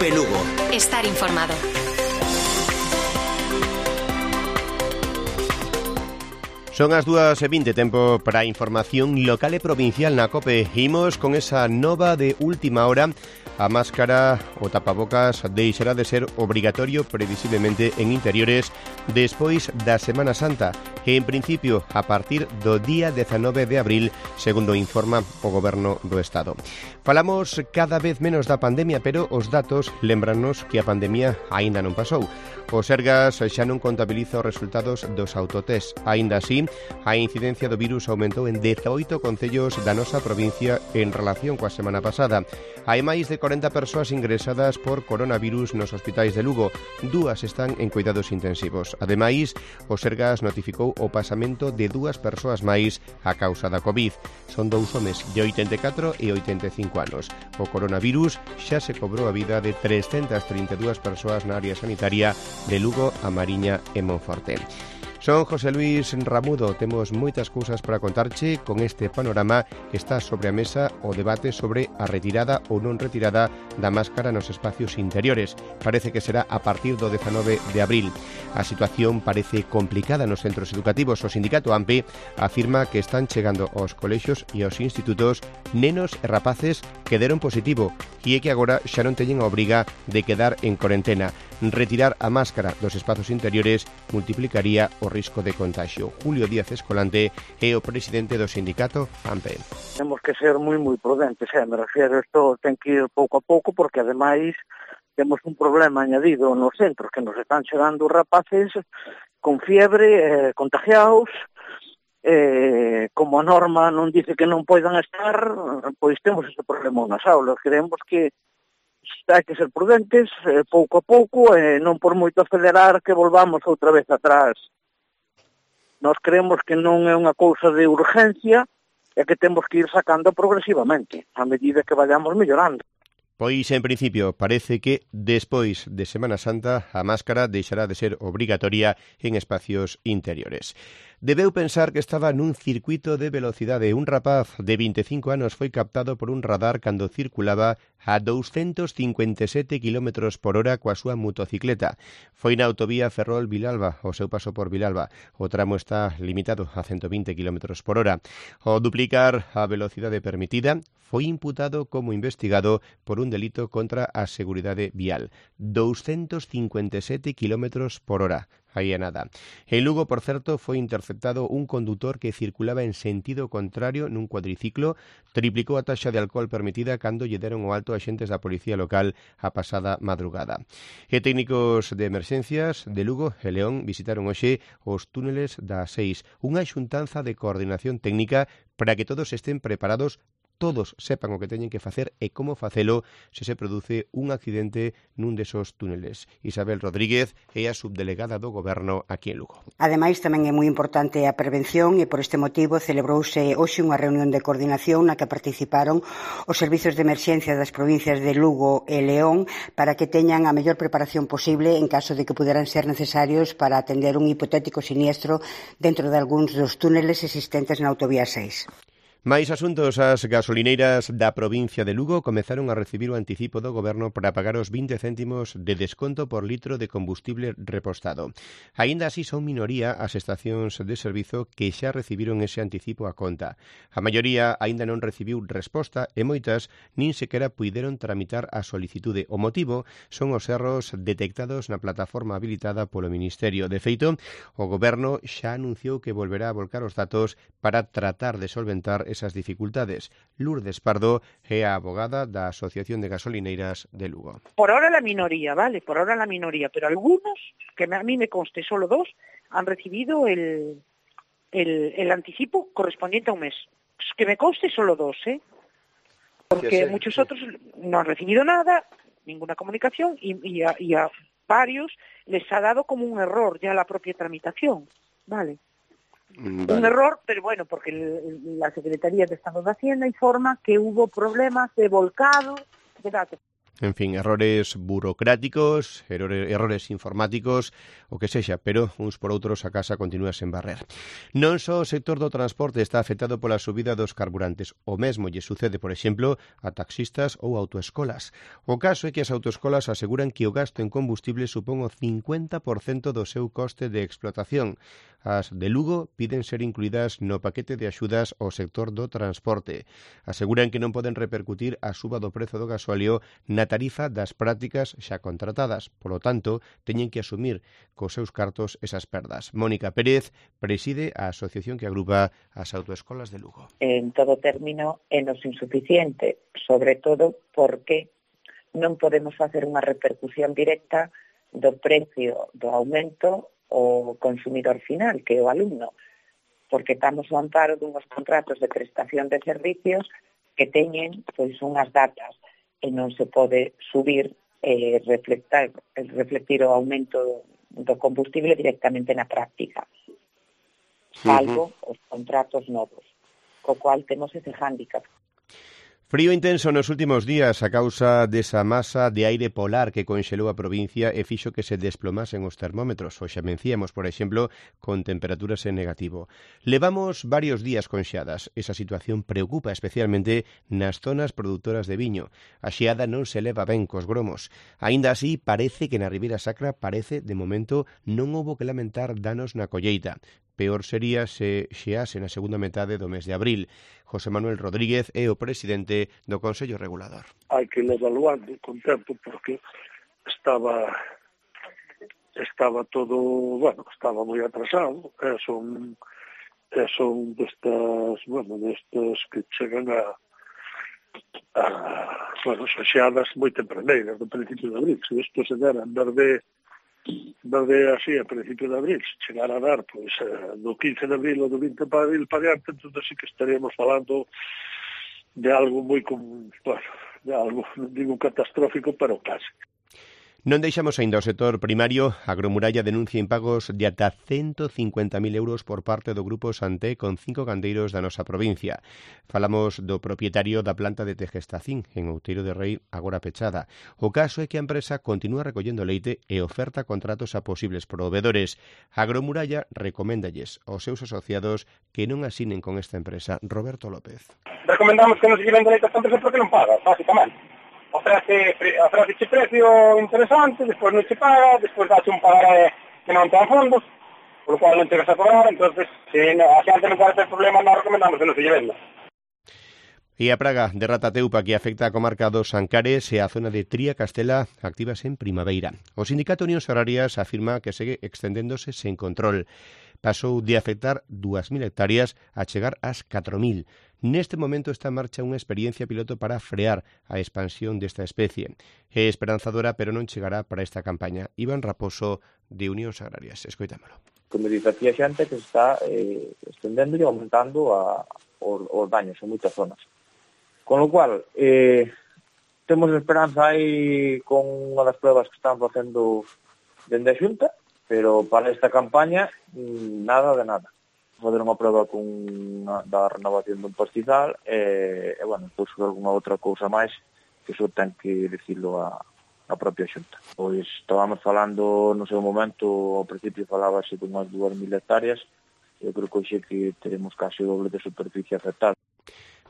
COPE Lugo. Estar informado. Son as 2:20, tempo para a información local e provincial na COPE. Imos con esa nova de última hora. A máscara o tapabocas deixará de ser obrigatorio previsiblemente en interiores despois da Semana Santa e, en principio, a partir do día 19 de abril, segundo informa o Goberno do Estado. Falamos cada vez menos da pandemia, pero os datos lembranos que a pandemia aínda non pasou. O Sergas xa non contabiliza os resultados dos autotest. Aínda así, a incidencia do virus aumentou en 18 concellos da nosa provincia en relación coa semana pasada. Hai máis de 40 persoas ingresadas por coronavirus nos hospitais de Lugo. 2 están en cuidados intensivos. Ademais, o Sergas notificou o pasamento de 2 persoas máis a causa da COVID. Son 2 homes de 84 e 85 anos. O coronavirus xa se cobrou a vida de 332 persoas na área sanitaria de Lugo, A Mariña e Monforte. Son José Luis Ramudo, temos moitas cousas para contarche con este panorama que está sobre a mesa o debate sobre a retirada ou non retirada da máscara nos espacios interiores. Parece que será a partir do 19 de abril. A situación parece complicada nos centros educativos. O sindicato AMPE afirma que están chegando aos colexios e aos institutos nenos e rapaces que deron positivo e que agora xa non teñen a obriga de quedar en cuarentena. Retirar a máscara dos espazos interiores multiplicaría o risco de contagio. Julio Díaz Escolante é o presidente do sindicato AMPE. Temos que ser moi prudentes, me refiero, isto ten que ir pouco a pouco, porque ademais temos un problema añadido nos centros, que nos están chegando rapaces con fiebre, contagiados, como a norma non dice que non poidan estar, pois temos ese problema nas aulas. Creemos que hai que ser prudentes, pouco a pouco, non por moito acelerar que volvamos outra vez atrás. Nós creemos que non é unha cousa de urgencia e que temos que ir sacando progresivamente, a medida que vayamos mellorando. Pois, en principio, parece que despois de Semana Santa a máscara deixará de ser obrigatoria en espacios interiores. Debeu pensar que estaba nun circuito de velocidade. Un rapaz de 25 anos foi captado por un radar cando circulaba a 257 km por hora coa súa motocicleta. Foi na autovía Ferrol-Vilalba, o seu paso por Vilalba. O tramo está limitado a 120 km por hora. Ao duplicar a velocidade permitida, foi imputado como investigado por un delito contra a seguridade vial. 257 km por hora. Aí é nada. En Lugo, por certo, foi interceptado un condutor que circulaba en sentido contrario nun cuadriciclo, triplicou a taxa de alcohol permitida cando lle deron o alto a axentes da policía local a pasada madrugada. E técnicos de emerxencias de Lugo e León visitaron hoxe os túneles da 6, unha xuntanza de coordinación técnica para que todos estén preparados, todos sepan o que teñen que facer e como facelo se se produce un accidente nun desos túneles. Isabel Rodríguez é a subdelegada do Goberno aquí en Lugo. Ademais, tamén é moi importante a prevención e por este motivo celebrouse hoxe unha reunión de coordinación na que participaron os servizos de emerxencia das provincias de Lugo e León para que teñan a mellor preparación posible en caso de que puderan ser necesarios para atender un hipotético siniestro dentro de algúns dos túneles existentes na autovía 6. Mais asuntos, as gasolineiras da provincia de Lugo comezaron a recibir o anticipo do Goberno para pagar os 20 céntimos de desconto por litro de combustible repostado. Aínda así son minoría as estacións de servizo que xa recibiron ese anticipo a conta. A maioría aínda non recibiu resposta e moitas nin sequera puideron tramitar a solicitude. O motivo son os erros detectados na plataforma habilitada polo Ministerio. De feito, o Goberno xa anunciou que volverá a volcar os datos para tratar de solventar esas dificultades. Lourdes Pardo é a abogada da Asociación de Gasolineiras de Lugo. Por ahora la minoría, ¿vale? Por ahora la minoría, pero algunos, que a mí me conste solo 2, han recibido el anticipo correspondiente a un mes. Que me conste solo 2, ¿eh? Porque muchos otros no han recibido nada, ninguna comunicación, y a varios les ha dado como un error ya la propia tramitación, ¿vale? Vale. Un error, pero bueno, porque la Secretaría de Estado de Hacienda informa que hubo problemas de volcado de datos. En fin, errores burocráticos, errores informáticos, o que sexa, pero uns por outros a casa continúa sen barrer. Non só o sector do transporte está afectado pola subida dos carburantes, o mesmo lle sucede, por exemplo, a taxistas ou autoescolas. O caso é que as autoescolas aseguran que o gasto en combustible supón o 50% do seu coste de explotación. As de Lugo piden ser incluídas no paquete de axudas ao sector do transporte. Aseguran que non poden repercutir a suba do prezo do gasóleo na tarifa das prácticas xa contratadas. Polo tanto, teñen que asumir cos seus cartos esas perdas. Mónica Pérez preside a asociación que agrupa as autoescolas de Lugo. En todo término, é nos insuficiente, sobre todo porque non podemos facer unha repercusión directa do precio do aumento o consumidor final, que é o alumno, porque estamos ao amparo dunhos contratos de prestación de servicios que teñen pois unhas datas e non se pode subir reflectir o aumento do combustible directamente na práctica, salvo os contratos novos, co cual temos ese hándicap. Frío intenso nos últimos días a causa desa masa de aire polar que conxelou a provincia e fixo que se desplomasen os termómetros. Hoxe amencíamos, por exemplo, con temperaturas en negativo. Levamos varios días con xeadas. Esa situación preocupa especialmente nas zonas produtoras de viño. A xeada non se leva ben cos gromos. Aínda así, parece que na Ribeira Sacra de momento, non houbo que lamentar danos na colleita. Peor sería se xease na segunda metade do mes de abril. José Manuel Rodríguez é o presidente do Consello Regulador. Hai que ir evaluando con tempo porque estaba todo, estaba moi atrasado. Son destas que chegan son xeadas moi tempraneiras do principio de abril. Se isto se dera en verde así a principio de abril, se chegar a dar do 15 de abril ou do 20 de abril para diante, entón sí que estaríamos falando de algo moi de algo, non digo catastrófico, pero casi. Non deixamos aínda o sector primario. Agromuralla denuncia impagos de ata 150.000 euros por parte do Grupo Santé con 5 gandeiros da nosa provincia. Falamos do propietario da planta de Tegestacín, en Outeiro de Rei, agora pechada. O caso é que a empresa continúa recollendo leite e oferta contratos a posibles provedores. Agromuralla recoméndalles aos seus asociados que non asinen con esta empresa. Roberto López. Recomendamos que non se lleven leite a esta empresa porque non paga, básicamente. Ofrece precio interesante, despois non se paga, despois dache un pagaré que non ten fondos, por lo cual non chegas a cobrar, entonces se a xente non pode ter problema, non recomendamos que non se lle venda. E a praga de ratateupa que afecta a comarca dos Ancares e a zona de Tría Castela activas en primavera. O Sindicato Unións Agrarias afirma que segue extendéndose sen control. Pasou de afectar 2.000 hectáreas a chegar ás 4.000. Neste momento está en marcha unha experiencia piloto para frear a expansión desta especie. É esperanzadora, pero non chegará para esta campaña. Iván Raposo, de Unións Agrarias. Escoitámolo. Como dice aquí a xente que se está extendendo e aumentando os daños en moitas zonas. Con lo cual, temos esperanza aí con unha das pruebas que están facendo dende a Xunta, pero para esta campaña nada de nada. Fazer unha prova da renovación dun pastizal e pois algunha outra cousa máis que iso ten que dicilo a propia Xunta. Pois estábamos falando no seu momento, ao principio falábase de unhas 2.000 hectáreas, eu creo que hoxe que teremos casi o doble de superficie afectada.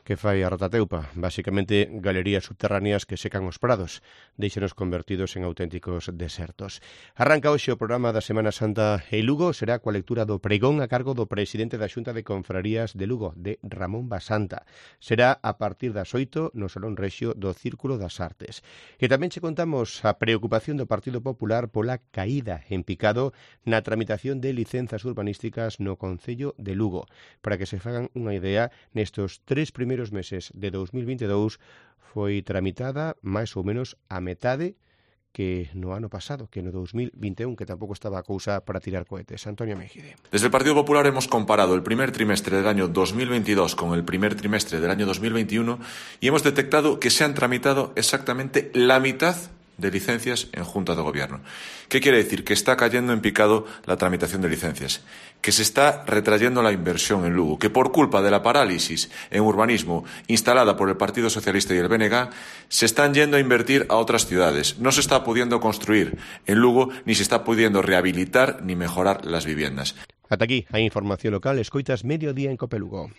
Que fai a ratateupa? Basicamente galerías subterráneas que secan os prados, deixanos convertidos en auténticos desertos. Arranca hoxe o programa da Semana Santa e Lugo, será coa lectura do pregón a cargo do presidente da Xunta de Confrarías de Lugo, de Ramón Basanta. Será a partir das 8 no Salón Rexio do Círculo das Artes. E tamén che contamos a preocupación do Partido Popular pola caída en picado na tramitación de licenzas urbanísticas no Concello de Lugo. Para que se fagan unha idea, nestos 3 primeiros meses de 2022 foi tramitada máis ou menos a metade que no ano pasado, que no 2021, que tampouco estaba a cousa para tirar cohetes. Antonio Mejide. Desde el Partido Popular hemos comparado el primer trimestre del año 2022 con el primer trimestre del año 2021 y hemos detectado que se han tramitado exactamente la mitad de licencias en Junta de Gobierno. ¿Qué quiere decir? Que está cayendo en picado la tramitación de licencias, que se está retrayendo la inversión en Lugo, que por culpa de la parálisis en urbanismo instalada por el Partido Socialista y el BNG, se están yendo a invertir a otras ciudades. No se está pudiendo construir en Lugo, ni se está pudiendo rehabilitar ni mejorar las viviendas. Ata aquí a información local. Escoitas Mediodía en Cope Lugo.